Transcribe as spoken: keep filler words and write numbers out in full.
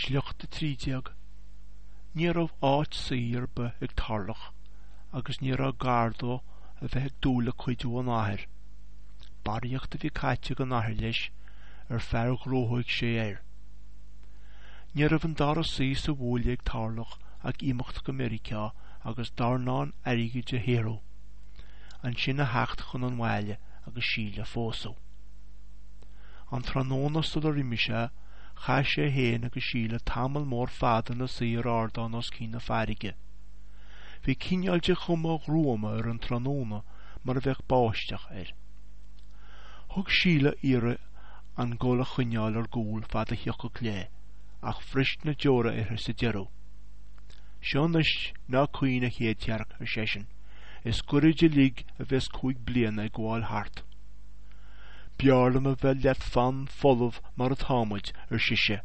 Sliocht a trí déag. Ní raibh áit suí ar bith ag Tarlach agus ní raibh gar dó a bheith ag dúil le cuidiú ón athair. Barraíocht a bhí caite ag an athair leis ar fear ghnóthaigh sé air. Ní raibh an dara suí sa bhuaile ag Tarlach ach imeacht go Meiriceá agus dornán airgid a shaothrú, ansin a theacht chun an bhaile agus Síle a phósadh. An tráthnóna sular imigh sé, chaith sé féin agus Síle tamall mór fada ina suí ar ardán os cionn na farraige. Bhí cineál de chuma ghruama ar an tráthnóna mar a bheadh báisteach air. Thug Síle iarraidh an gol a choinneáil ar gcúl fad a thiocfadh léi, ach bhris na deora uirthi sa deireadh. Seo anois, ná caoin a chéadsearc, ar seisean, is goirid uilig a bheas cúig bliana ag gabháil thart. B'fhearr liom a bheith leat fann folamh mar atá muid, ar sise.